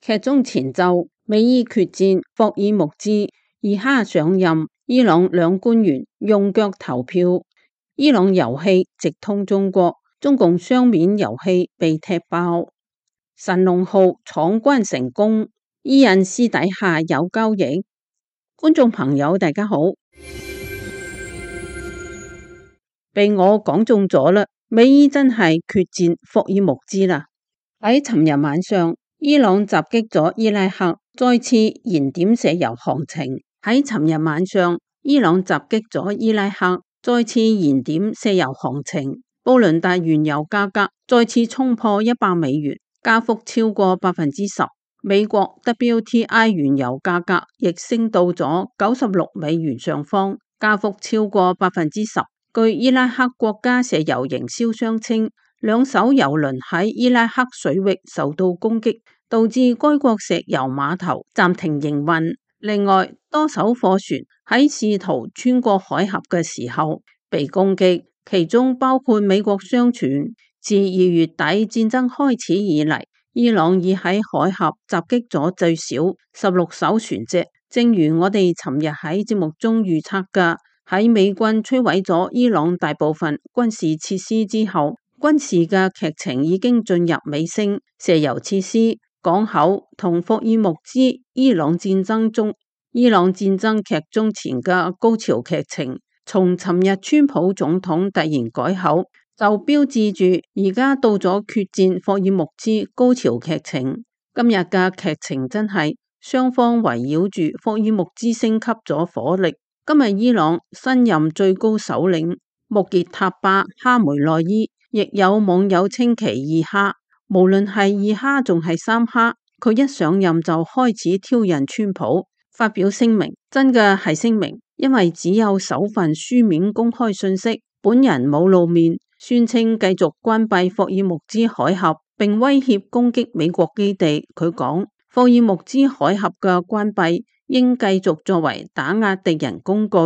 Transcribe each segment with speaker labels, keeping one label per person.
Speaker 1: 劇中前奏，美伊決戰，霍爾木茲二哈上任，伊朗兩官員用腳投票，伊朗油氣直通中國，中共雙面油氣被踢爆，神龍號闖關成功，伊印私底下有交易。觀眾朋友大家好，被我講中咗啦，美伊真係決戰霍爾木茲啦。喺尋日晚上，伊朗襲擊咗伊拉克，再次燃點石油行情。喺尋日晚上，伊朗襲擊咗伊拉克，再次燃點石油行情。布倫特原油價格再次衝破$100，加幅超過10%。美國 WTI 原油價格亦升到咗$96上方，加幅超過10%。據伊拉克國家石油營銷商稱，兩艘油輪喺伊拉克水域受到攻擊，導致該國石油碼頭暫停營運。另外，多艘貨船喺試圖穿過海峽嘅時候被攻擊，其中包括美國商船。自2月底戰爭開始以嚟，伊朗已喺海峽襲擊咗最少16艘船隻。正如我哋尋日喺節目中預測嘅，喺美軍摧毀咗伊朗大部分軍事設施之後，軍事嘅劇情已經進入尾聲。石油設施、港口同霍爾木茲伊朗戰爭劇中前嘅高潮劇情，從尋日川普總統突然改口，就標誌住而家到咗決戰霍爾木茲高潮劇情。今日嘅劇情真係雙方圍繞住霍爾木茲升級咗火力。今日伊朗新任最高首領穆傑塔巴哈梅內伊，亦有網友稱其二哈。無論係二哈仲係三哈，佢一上任就開始挑釁川普，發表聲明，真嘅係聲明，因為只有首份書面公開信息，本人冇露面，宣稱繼續關閉霍爾木茲海峽，並威脅攻擊美國基地。佢講，霍爾木茲海峽嘅關閉應繼續作為打壓敵人工具。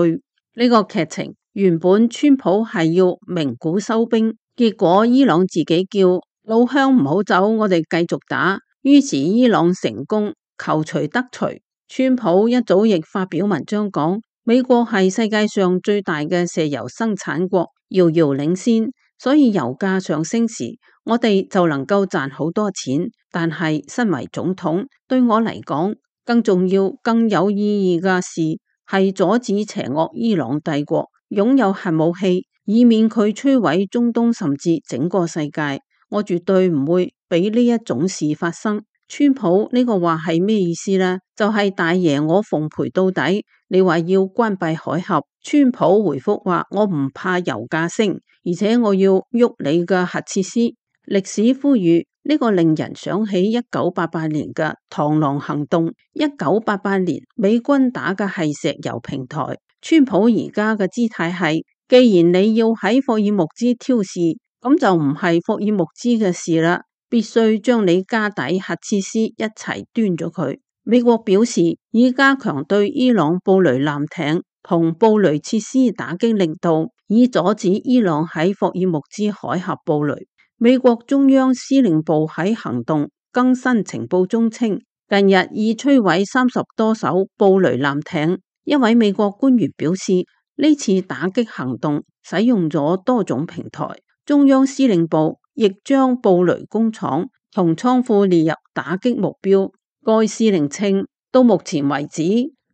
Speaker 1: 呢個劇情原本川普係要鳴鼓收兵，結果伊朗自己叫老鄉唔好走，我哋繼續打，於是伊朗成功，求除得除。川普一早亦發表文章講，美國係世界上最大嘅石油生產國，遙遙領先，所以油價上升時，我哋就能夠賺好多錢。但係身為總統，對我嚟講，更重要、更有意義嘅事係阻止邪惡伊朗帝國擁有核武器，以免佢摧毀中東甚至整個世界。我絕對唔會俾呢一種事發生。川普呢個話係咩意思呢？就係大爺我奉陪到底，你話要關閉海峽，川普回覆話我唔怕油價升，而且我要喐你嘅核設施。歷史呼籲呢個令人想起1988年嘅螳螂行動。1988年美軍打嘅係石油平台，川普而家嘅姿態係，既然你要喺霍爾木茲挑事，咁就唔係霍爾木茲嘅事啦，必須將你家底核設施一齊端咗佢。美國表示已加強對伊朗布雷艦艇同布雷設施打擊力度，以阻止伊朗喺霍爾木茲海峽布雷。美國中央司令部喺行動更新情報中稱，近日已摧毀30多艘布雷艦艇。一位美國官員表示，呢次打擊行動使用咗多種平台。中央司令部亦將布雷工廠同倉庫列入打擊目標。該司令稱，到目前為止，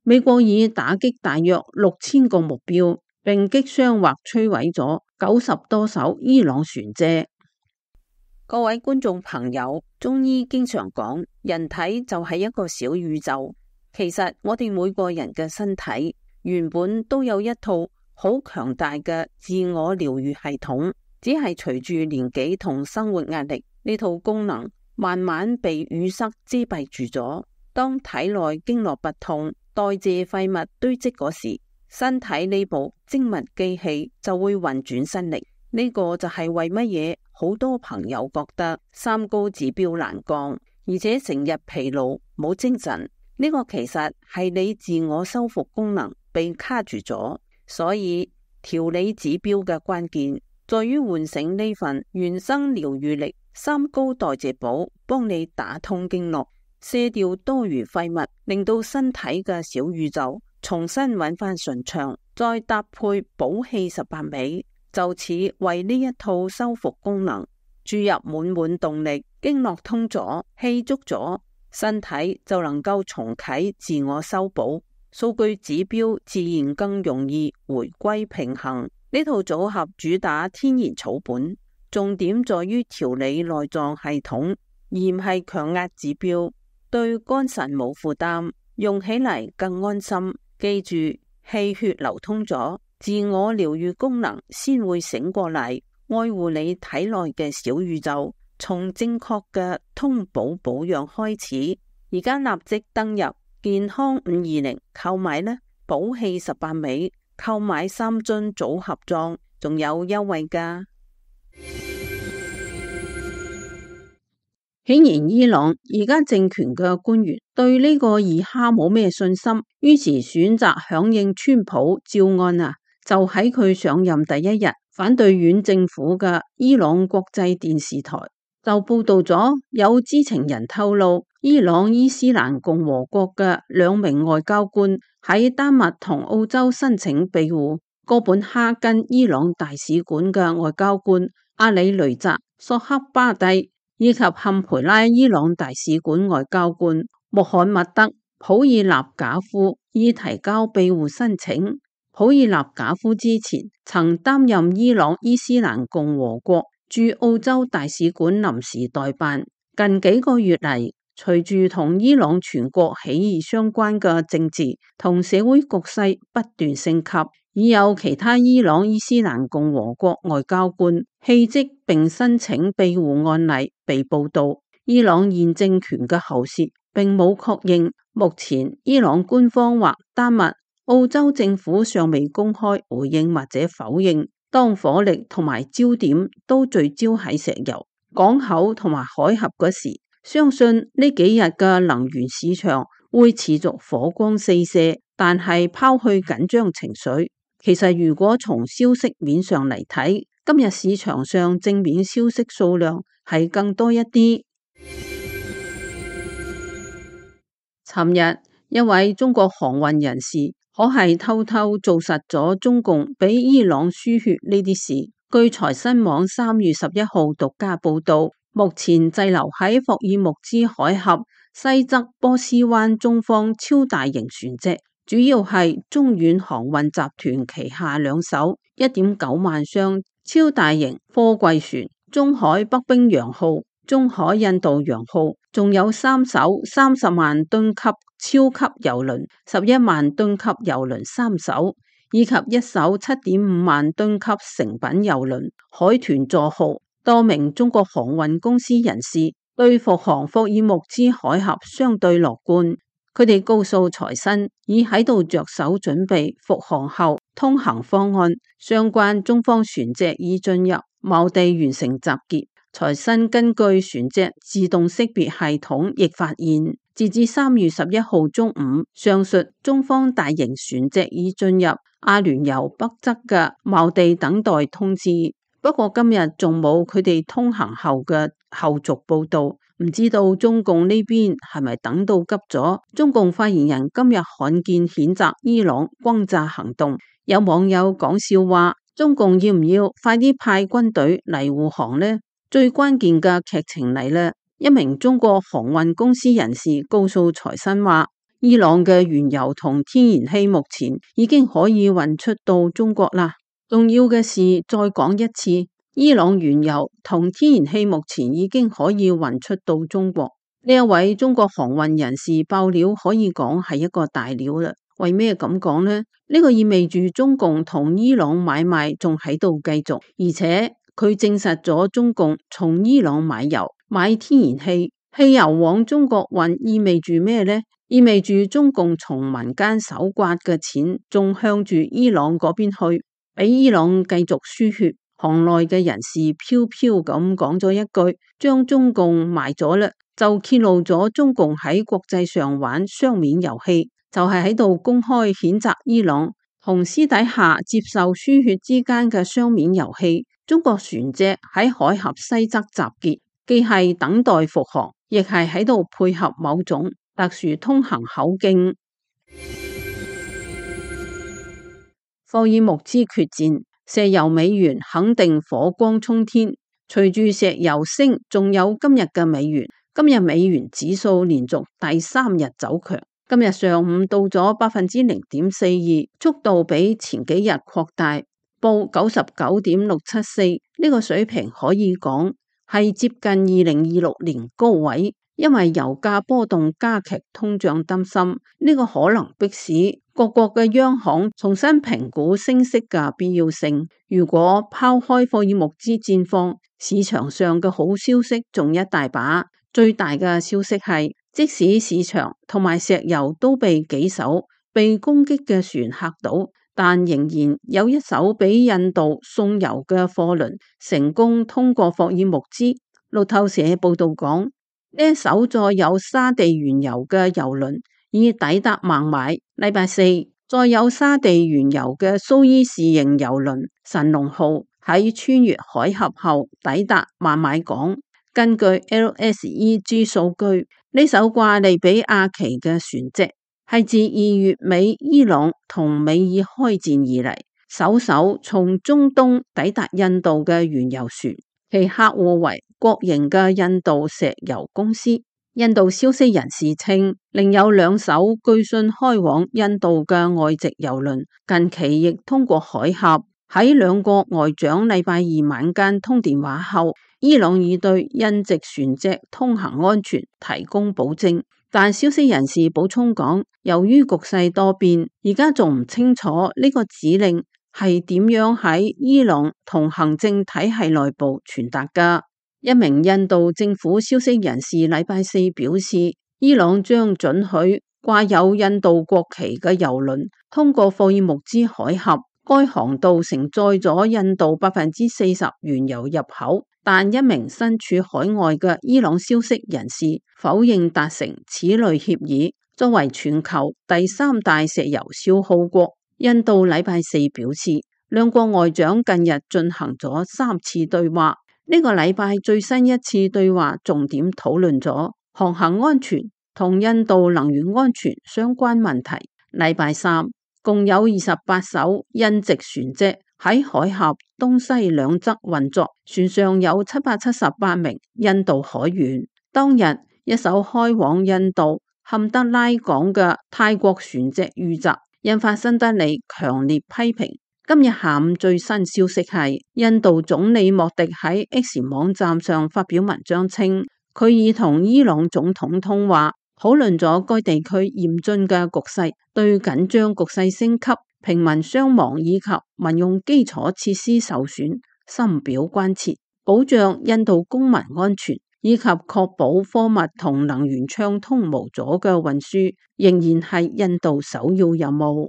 Speaker 1: 美國已打擊大約6000個目標，並擊傷或摧毀咗90多艘伊朗船隻。各位觀眾朋友，中醫經常講，人體就係一個小宇宙。其實我哋每個人嘅身體原本都有一套好強大嘅自我療愈系統。只係隨住年紀同生活壓力，呢套功能慢慢被淤塞遮蔽住咗。當體內經絡不通、代謝廢物堆積嗰時，身體呢部精密機器就會運轉新力。呢個就係為乜嘢好多朋友覺得三高指標難降，而且成日疲勞冇精神。呢個其實係你自我修復功能被卡住咗。所以調理指標嘅關鍵在於喚醒呢份原生療愈力，三高代謝寶幫你打通經絡，卸掉多餘廢物，令到身體嘅小宇宙重新揾返順暢，再搭配補氣18味，就此為呢一套修復功能注入滿滿動力。經絡通咗，氣足咗，身體就能夠重啟自我修補，數據指標自然更容易回歸平衡。呢套組合主打天然草本，重點在於調理內臟系統，而唔係強壓指標，對肝腎冇負擔，用起嚟更安心。記住，氣血流通咗，自我療癒功能先會醒過嚟，愛護你體內嘅小宇宙。從正確嘅通補保養開始，而家立即登入健康520購買呢，補氣18味，購買3樽組合裝，仲有優惠㗎。顯然伊朗而家政權嘅官員對呢個二哈冇咩信心，於是選擇響應川普招安啊！就喺佢上任第一日，反對院政府嘅伊朗國際電視台就報道咗，有知情人透露，伊朗伊斯蘭共和國嘅2名外交官喺丹麥同澳洲申請庇護。哥本哈根伊朗大使館嘅外交官阿里雷澤索克巴蒂以及坎培拉伊朗大使館外交官穆罕默德普爾納賈夫已提交庇護申請。普爾納賈夫之前曾擔任伊朗伊斯蘭共和國駐澳洲大使館臨時代辦。近幾個月嚟，隨住同伊朗全國起義相關嘅政治同社會局勢不斷升級，已有其他伊朗伊斯蘭共和國外交官棄職並申請庇護案例被報道。伊朗現政權嘅喉舌並冇確認，目前伊朗官方或丹麥、澳洲政府尚未公開回應或者否認。當火力同埋焦點都聚焦喺石油、港口同埋海峽嗰時，相信呢幾日嘅能源市場會持續火光四射。但係拋去緊張情緒，其實如果從消息面上嚟睇，今日市場上正面消息數量係更多一啲。尋日一位中國航運人士可係偷偷做實咗中共俾伊朗輸血呢啲事。據財新網3月11號獨家報道，目前滯留喺霍爾木茲海峽西側波斯灣中方超大型船隻，主要係中遠航運集團旗下2艘 1.9 萬箱超大型貨櫃船，中海北冰洋號、中海印度洋號，仲有3艘30萬噸級超級郵輪、11萬噸級郵輪3艘，以及1艘7.5萬噸級成品郵輪海豚座號。多名中國航運公司人士對復航霍爾木茲海峽相對樂觀，佢哋告訴財新已喺度着手準備復航後通行方案，相關中方船隻已進入錨地完成集結。財新根據船隻自動識別系統亦發現，截至3月11號中午，上述中方大型船隻已進入阿聯酋北側嘅錨地等待通知。不過今日仲冇佢哋通行後嘅後續報道，唔知道中共呢邊係咪等到急咗？中共發言人今日罕見譴責伊朗轟炸行動，有網友講笑話，中共要唔要快啲派軍隊嚟護航呢？最關鍵嘅劇情嚟啦！一名中國航運公司人士告訴財新話，伊朗嘅原油同天然氣目前已經可以運出到中國啦。重要嘅事再講一次，伊朗原油同天然氣目前已經可以運出到中國。呢一位中國航運人士爆料可以講係一個大料啦。為咩咁講呢？呢個意味住中共同伊朗買賣仲喺度繼續，而且佢證實咗中共從伊朗買油、買天然氣，汽油往中國運，意味住咩呢？意味住中共從民間手刮嘅錢仲向住伊朗嗰邊去。俾伊朗繼續輸血，行內嘅人士飄飄咁講咗一句，將中共賣咗啦，就揭露咗中共喺國際上玩雙面遊戲，就係喺度公開譴責伊朗同私底下接受輸血之間嘅雙面遊戲。中國船隻喺海峽西側集結，既係等待復航，亦係喺度配合某種特殊通行口徑。霍爾木茲決戰，石油美元肯定火光衝天。隨住石油升，仲有今日嘅美元。今日美元指數連續第3日走強，今日上午到咗0.42%，速度比前幾日擴大，報99.674。呢個水平可以講係接近2026年高位。因為油價波動加劇通脹擔心，呢個可能迫使各國嘅央行重新評估升息嘅必要性。如果拋開霍爾木茲戰況，市場上嘅好消息仲一大把。最大嘅消息係，即使市場同埋石油都被幾艘被攻擊嘅船嚇到，但仍然有一艘俾印度送油嘅貨輪成功通過霍爾木茲。路透社報道講，呢一艘載有沙地原油嘅油輪已抵達孟買。禮拜四，載有沙地原油嘅蘇伊士型油輪神龍號喺穿越海峽後抵達孟買港。根據 LSEG 數據，呢艘掛利比亞旗嘅船隻係自2月尾伊朗同美爾開戰以嚟首艘從中東抵達印度嘅原油船，其客戶為國營嘅印度石油公司。印度消息人士稱，另有2艘據信開往印度嘅外籍油輪近期亦通過海峽。喺2國外長禮拜二晚間通電話後，伊朗已對印籍船隻通行安全提供保證，但消息人士補充講，由於局勢多變，而家仲唔清楚呢個指令係點樣喺伊朗同行政體系內部傳達㗎。一名印度政府消息人士禮拜四表示，伊朗將准許掛有印度國旗嘅油輪通過霍爾木茲海峽。該航道承載咗印度40%原油入口，但一名身處海外嘅伊朗消息人士否認達成此類協議。作為全球第3大石油消耗國，印度禮拜四表示，2國外長近日進行咗3次對話。呢個禮拜最新一次對話重點討論咗航行安全同印度能源安全相關問題。禮拜三，共有28艘印籍船隻喺海峽東西兩側運作，船上有778名印度海員。當日，一艘開往印度坎德拉港嘅泰國船隻遇襲，引發新德里強烈批評。今日下午最新消息係，印度總理莫迪喺 X 網站上發表文章稱，佢已同伊朗總統通話，討論咗該地區嚴峻嘅局勢，對緊張局勢升級、平民傷亡以及民用基礎設施受損深表關切，保障印度公民安全以及確保貨物同能源暢通無阻嘅運輸，仍然係印度首要任務。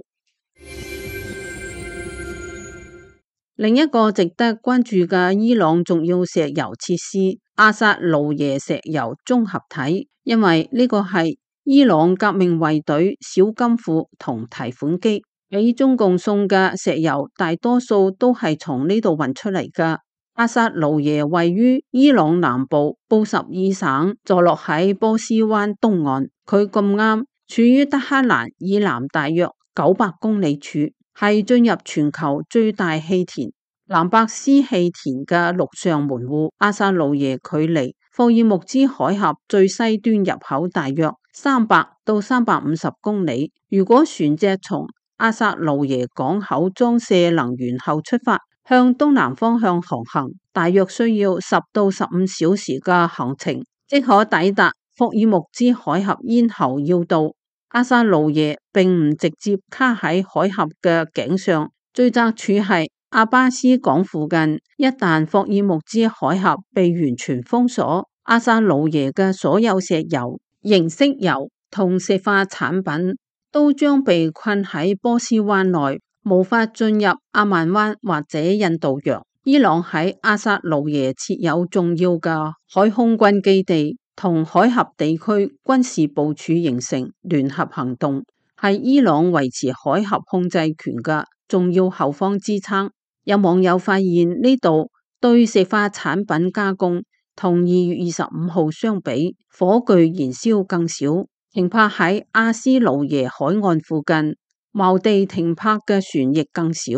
Speaker 1: 另一個值得關注嘅伊朗重要石油設施阿薩盧耶石油綜合體，因為呢個係伊朗革命衛隊小金庫同提款機，俾中共送嘅石油大多數都係從呢度運出嚟㗎。阿薩盧耶位於伊朗南部布什爾省，坐落喺波斯灣東岸，佢咁啱處於德黑蘭以南大約900公里處，係進入全球最大氣田蘭伯斯氣田嘅陸上門戶。阿薩盧耶距離霍爾木茲海峽最西端入口大約300到350公里。如果船隻從阿薩盧耶港口裝卸能源後出發，向東南方向航行，大約需要10到15小時嘅行程，即可抵達霍爾木茲海峽咽喉要道。阿薩盧耶並唔直接卡喺海峽嘅頸上，最窄處係阿巴斯港附近。一旦霍爾木茲海峽被完全封鎖，阿薩盧耶嘅所有石油、形式油同石化產品都將被困喺波斯灣內，無法進入阿曼灣或者印度洋。伊朗喺阿薩盧耶設有重要嘅海空軍基地，同海峽地區軍事部署形成聯合行動，係伊朗維持海峽控制權嘅重要後方支撐。有網友發現呢度對石化產品加工同2月25號相比，火炬燃燒更少。停泊喺阿斯魯耶海岸附近，錨地停泊嘅船亦更少。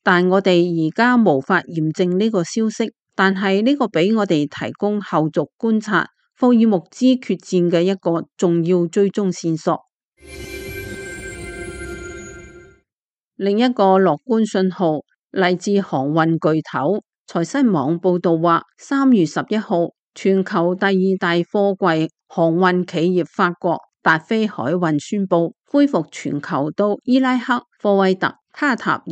Speaker 1: 但我哋而家無法驗證呢個消息，但係呢個俾我哋提供後續觀察霍爾木茲決戰嘅一個重要追蹤線索。另一個樂觀信號嚟自航運巨頭財新網報道話，3月11號，全球第2大貨櫃航運企業法國達飛海運宣布恢復全球到伊拉克、科威特、卡塔爾、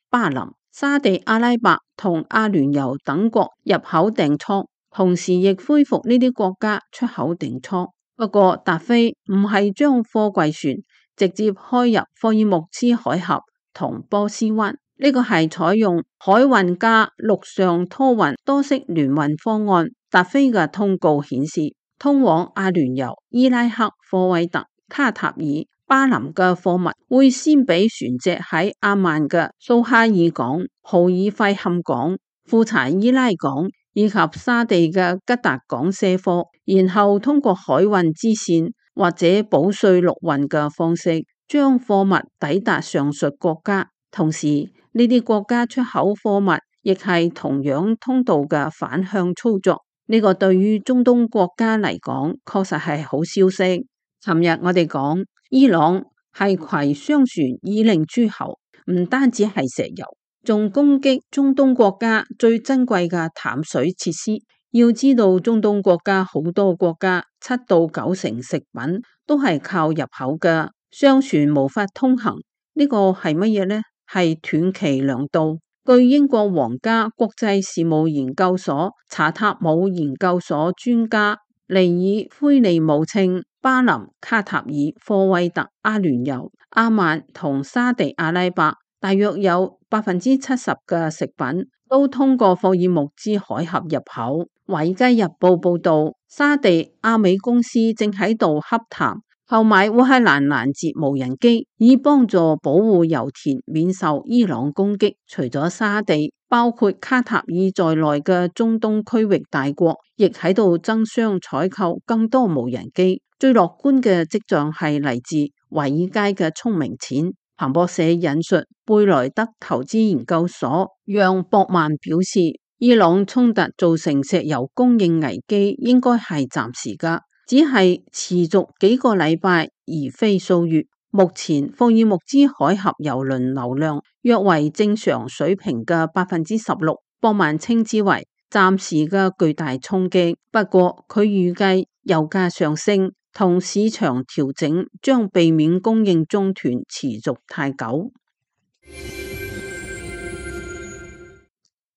Speaker 1: 巴林、沙地阿拉伯同阿聯酋等國入口訂倉，同時亦恢復呢啲國家出口訂倉。不過達飛唔係將貨櫃船直接開入霍爾木茲海峽同波斯灣，呢個係採用海運加陸上拖運多式聯運方案。達飛嘅通告顯示，通往阿聯酋、伊拉克、科威特、卡塔爾、巴林嘅貨物會先俾船隻喺阿曼嘅蘇哈爾港、豪爾費坎港、庫查伊拉港以及沙地嘅吉達港卸貨，然後通過海運支線或者保稅陸運嘅方式將貨物抵達上述國家。同時呢啲國家出口貨物亦係同樣通道嘅反向操作。呢個對於中東國家嚟講確實係好消息。尋日我哋講伊朗係攜商船以令諸侯，唔單止係石油，仲攻擊中東國家最珍貴嘅淡水設施。要知道中東國家好多國家7到9成食品都係靠入口嘅，商船無法通行，呢個係乜嘢呢？係斷其糧道。據英國皇家國際事務研究所查塔姆研究所專家尼爾奎利姆稱，巴林、卡塔爾、科威特、阿聯酋、阿曼同沙地阿拉伯大約有70%嘅食品都通過霍爾木茲海峽入口。華爾街日報報道，沙地阿美公司正喺度洽談購買烏克蘭攔截無人機，以幫助保護油田免受伊朗攻擊。除咗沙地，包括卡塔爾在內嘅中東區域大國，亦喺度爭相採購更多無人機。最樂觀嘅跡象係嚟自華爾街嘅聰明錢。彭博社引述貝萊德投資研究所讓博曼表示，伊朗衝突造成石油供應危機應該係暫時㗎，只係持續幾個禮拜而非數月。目前霍爾木茲海峽油輪流量約為正常水平嘅16%，博曼稱之為暫時嘅巨大衝擊。不過佢預計油價上升同市場調整將避免供應中斷持續太久。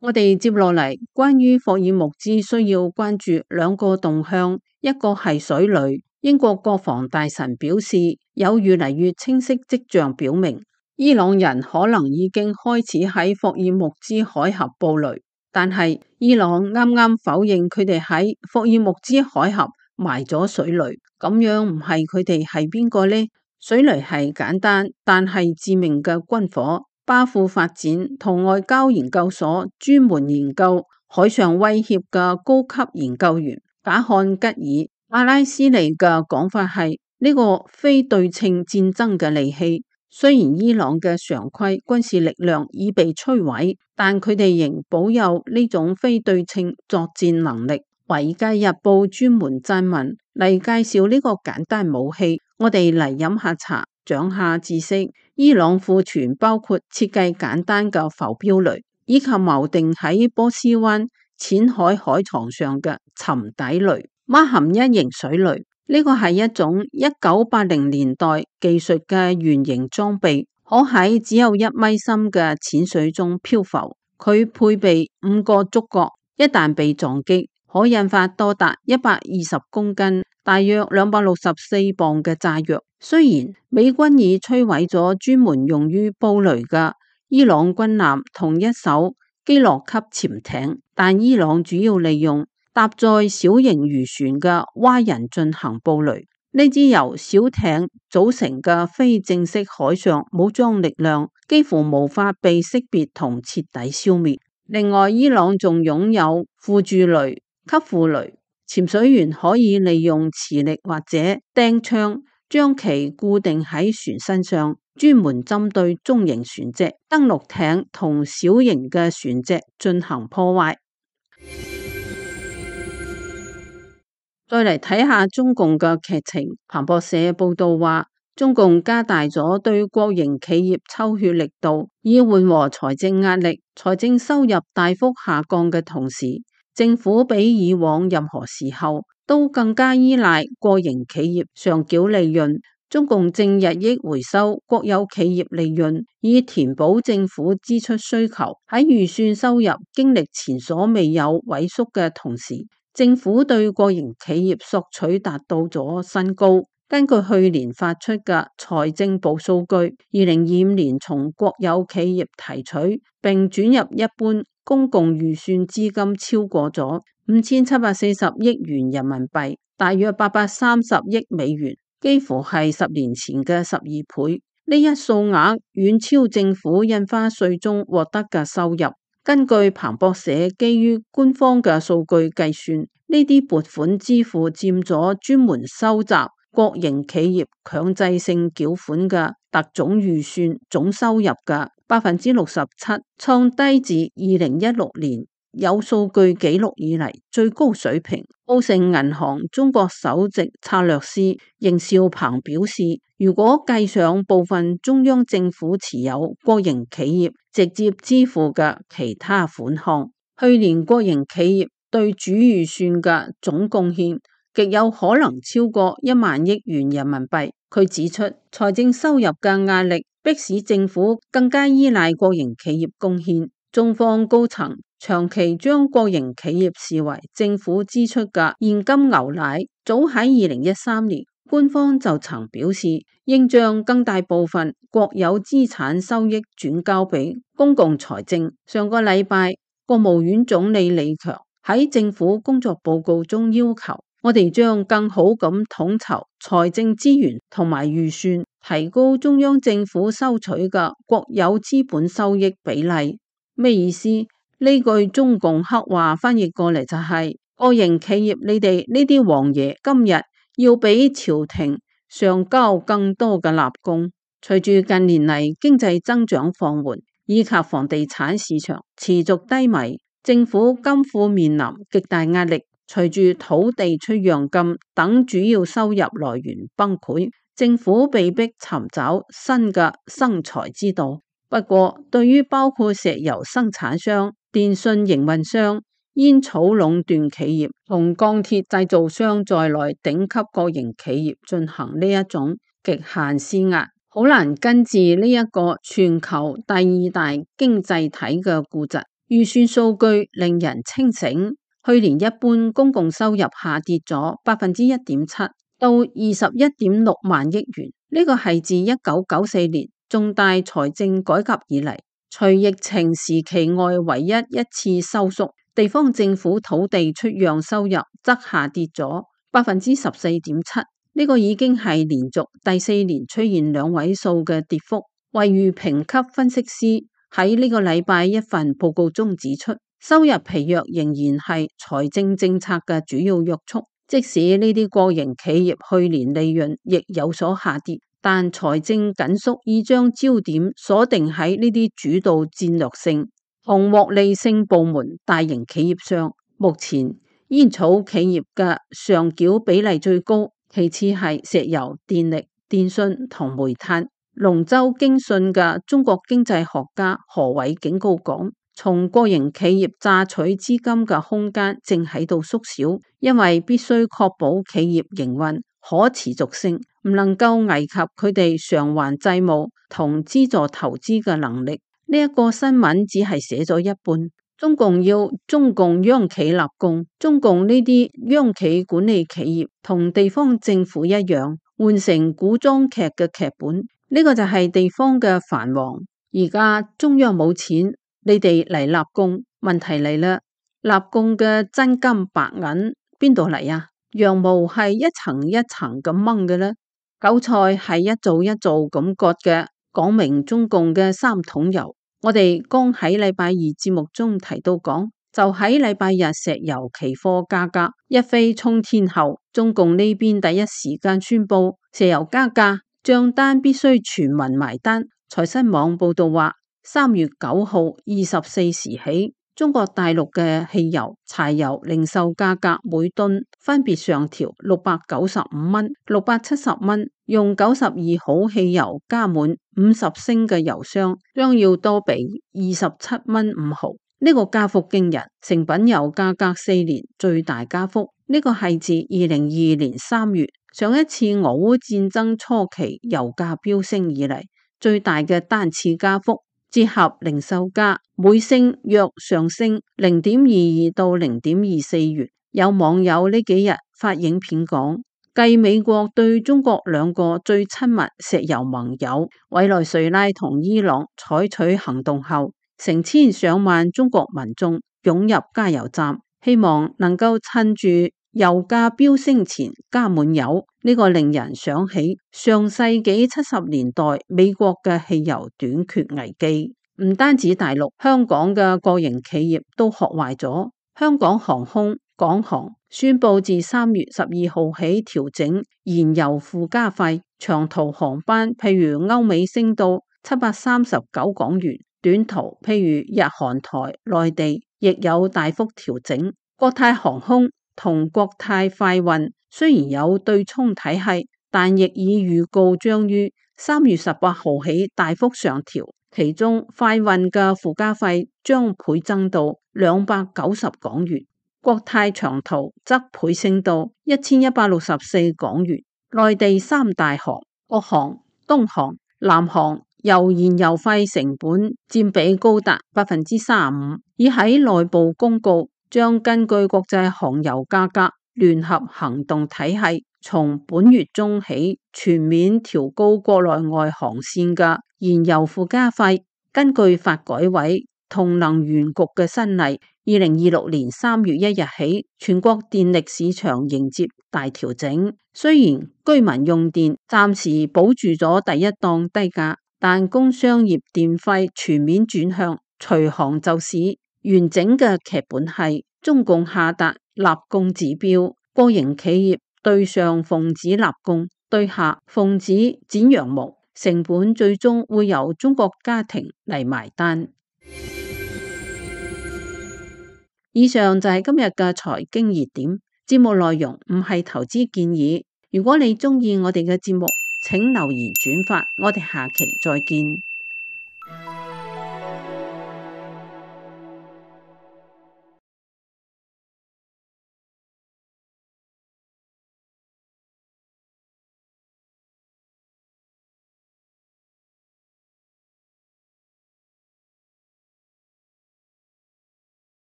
Speaker 1: 我哋接落嚟關於霍爾木茲需要關注2個動向，一個係水雷。英國國防大臣表示，有越嚟越清晰跡象表明，伊朗人可能已經開始喺霍爾木茲海峽布雷，但係伊朗啱啱否認佢哋喺霍爾木茲海峽埋咗水雷。咁樣唔係佢哋係邊個呢？水雷係簡單但係致命嘅軍火。巴庫發展同外交研究所專門研究海上威脅嘅高級研究員賈漢吉爾阿拉斯尼嘅講法係，呢個非對稱戰爭嘅利器，雖然伊朗嘅常規軍事力量已被摧毀，但佢哋仍保有呢種非對稱作戰能力。華爾街日報專門撰文嚟介紹呢個簡單武器。我哋嚟飲下茶，長下知識。伊朗庫存包括設計簡單嘅浮標雷，以及錨定喺波斯灣淺海海床上嘅沉底雷。馬含1型水雷，呢個係一種1980年代技術嘅圓形裝備，可喺只有1米深嘅淺水中漂浮。佢配備5個觸角，一旦被撞擊，可引發多達120公斤，大約264磅嘅炸藥。雖然美軍已摧毀咗專門用於布雷嘅伊朗軍艦同一艘基洛級潛艇，但伊朗主要利用搭載小型漁船嘅蛙人進行布雷。呢支由小艇組成嘅非正式海上武裝力量幾乎無法被識別同徹底消滅。另外，伊朗仲擁有輔助雷、給付雷、潛水員可以利用磁力或者釘槍將其固定喺船身上，專門針對中型船隻、登陸艇同小型嘅船隻進行破壞。再嚟睇下中共嘅劇情，彭博社報道話，中共加大咗對國營企業抽血力度，以緩和財政壓力。財政收入大幅下降嘅同時，政府比以往任何時候都更加依賴國營企業上繳利潤。中共正日益回收國有企業利潤，以填補政府支出需求。喺預算收入經歷前所未有萎縮嘅同時，政府對國營企業索取達到咗新高。根據去年發出嘅財政部數據，2025年從國有企業提取並轉入一般公共預算資金超過咗5740億元人民幣，大約830億美元，幾乎係10年前嘅12倍。呢一數額遠超政府印花稅中獲得嘅收入。根據彭博社基於官方嘅數據計算，呢啲撥款支付佔咗專門收集國營企業強制性繳款嘅特總預算總收入嘅67%，創低自2016年有數據記錄以嚟最高水平。高盛銀行中國首席策略師邢兆鵬表示，如果計上部分中央政府持有國營企業直接支付嘅其他款項，去年國營企業對主預算嘅總貢獻極有可能超過1萬億元人民幣。佢指出，財政收入嘅壓力迫使政府更加依賴國營企業貢獻。中方高層長期將國營企業視為政府支出嘅現金牛奶。早喺2013年，官方就曾表示，應將更大部分國有資產收益轉交俾公共財政。上個禮拜，國務院總理李強喺政府工作報告中要求，我哋將更好咁統籌財政資源同埋預算，提高中央政府收取嘅國有資本收益比例。咩意思？呢句中共黑話翻譯過嚟就係，國營企業你哋呢啲王爺今日要俾朝廷上交更多嘅納貢。隨住近年嚟經濟增長放緩，以及房地產市場持續低迷，政府金庫面臨極大壓力。隨住土地出讓金等主要收入來源崩潰，政府被迫尋找新嘅生財之道。不過，對於包括石油生產商、電信營運商、煙草壟斷企業同鋼鐵製造商在內頂級國營企業進行呢一種極限施壓，好難根治呢一個全球第二大經濟體嘅痼疾。預算數據令人清醒，去年一般公共收入下跌咗1.7%到21.6萬億元，呢個係自1994年重大財政改革以嚟，除疫情時期外唯一一次收縮。地方政府土地出讓收入則下跌咗14.7%，呢個已經係連續第4年出現2位數嘅跌幅。惠譽評級分析師喺呢個禮拜一份報告中指出，收入疲弱仍然係財政政策嘅主要約束，即使呢啲國營企業去年利潤亦有所下跌，但財政緊縮已將焦點鎖定喺呢啲主導戰略性同獲利性部門大型企業上。目前煙草企業嘅上繳比例最高，其次係石油、電力、電信同煤炭。龍州經信嘅中國經濟學家何偉警告講，從國營企業榨取資金嘅空間正喺度縮小，因為必須確保企業營運可持續性，唔能夠危及佢哋償還債務同資助投資嘅能力。呢一個新聞只係寫咗一半。中共要中共央企立功，中共呢啲央企管理企業同地方政府一樣，換成古裝劇嘅劇本。呢個就係地方嘅藩王。而家中央冇錢，你哋嚟立功。問題嚟啦，立功嘅真金白銀邊度嚟啊？羊毛係一層一層咁掹嘅啦，韭菜係一造一造咁割嘅，講明中共嘅3桶油。我哋剛喺禮拜二節目中提到講，就喺禮拜日石油期貨價格一飛沖天後，中共呢邊第一時間宣布石油加價，賬單必須全民埋單。財新網報道話，3月9號24時起，中國大陸嘅汽油、柴油零售價格每噸分別上調695蚊、670蚊。用92號汽油加滿50升嘅油箱，將要多俾27蚊5毫。呢個加幅驚人，成品油價格4年最大加幅。呢個係自2022年3月上一次俄烏戰爭初期油價飆升以嚟最大嘅單次加幅。折合零售價每升約上升0.22到0.24元。有網友呢幾日發影片講，繼美國對中國兩個最親密石油盟友委內瑞拉同伊朗採取行動後，成千上萬中國民眾湧入加油站，希望能夠趁住油價飆升前加滿油。呢個令人想起上世紀70年代美國嘅汽油短缺危機。唔單止大陸，香港嘅個營企業都學壞咗。香港航空、港航宣布自3月12號起調整燃油附加費，長途航班譬如歐美升到739港元，短途譬如日韓台、內地亦有大幅調整。國泰航空同國泰快運雖然有對沖體系，但亦已預告將於3月18號起大幅上調，其中快運嘅附加費將倍增到290港元。國泰長途則倍升到1164港元。內地三大航國航、東航、南航由燃油費成本佔比高達35%，已喺內部公告將根據國際航油價格聯合行動體系，從本月中起全面調高國內外航線嘅燃油附加費。根據發改委同能源局嘅新例，2026年3月1日起，全國電力市場迎接大調整。雖然居民用電暫時保住咗第一檔低價，但工商業電費全面轉向隨行就市。完整嘅劇本係中共下達立供指標，國營企業對上奉旨立供，對下奉旨剪羊毛，成本最終會由中國家庭嚟埋單。以上就係今日嘅財經熱點，節目內容唔係投資建議。如果你鍾意我哋嘅節目，請留言轉發，我哋下期再見。